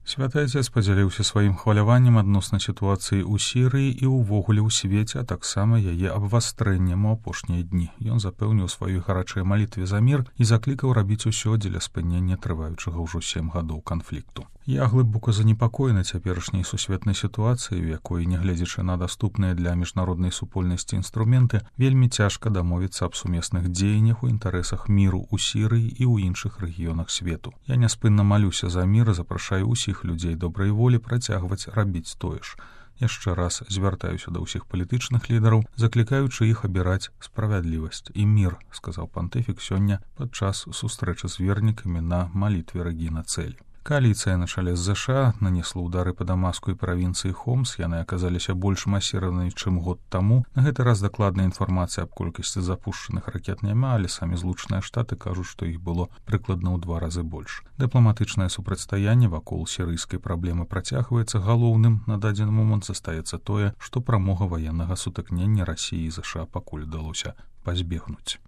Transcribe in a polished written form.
Святы Отец падзяліўся сваім хваляваннем адносна сітуацыі ў Сірыі і ўвогуле ў свеце, а таксама яе абвастрэннем у апошнія дні. Ён запэўніў сваёй гарачай малітве за мір і заклікаў рабіць усё дзеля спынення трываючага ўжо 7 гадоў канфлікту. Я глыбока занепакоены цяперашняй сусветнай сітуацыяй, у якой, нягледзячы на даступныя для міжнароднай супольнасці інструменты, вельмі цяжка дамовіцца аб сумесных дзеяннях у інтарэсах міру ў Сірыі і ў іншых рэгіёнах свету. Я няспынна малюся за мір і запрашаю ўсіх людзей добрай волі працягваць рабіць тое ж. Яшчэ раз звяртаюся да ўсіх палітычных лідараў, заклікаючы іх абіраць справядлівасць і мір, сказаў пантыфік сёння падчас сустрэчы з вернікамі на малітве Рэгіна Цэль. Коаліцыя на чале з ЗША нанесла ўдары па Дамаску і правінцыі Хомс. Яны аказаліся больш масіраванымі, чым год таму. На гэты раз дакладная інфармацыя аб колькасці запушчаных ракет няма, але самі Злучаныя Штаты кажуць, што іх было прыкладна ў 2 разы больш. Дыпламатычнае супрацьстаянне вакол сірыйскай праблемы працягваецца. Галоўным на дадзены момант застаецца тое, што прамога ваеннага сутыкнення Расіі і ЗША пакуль удалося пазбегнуць.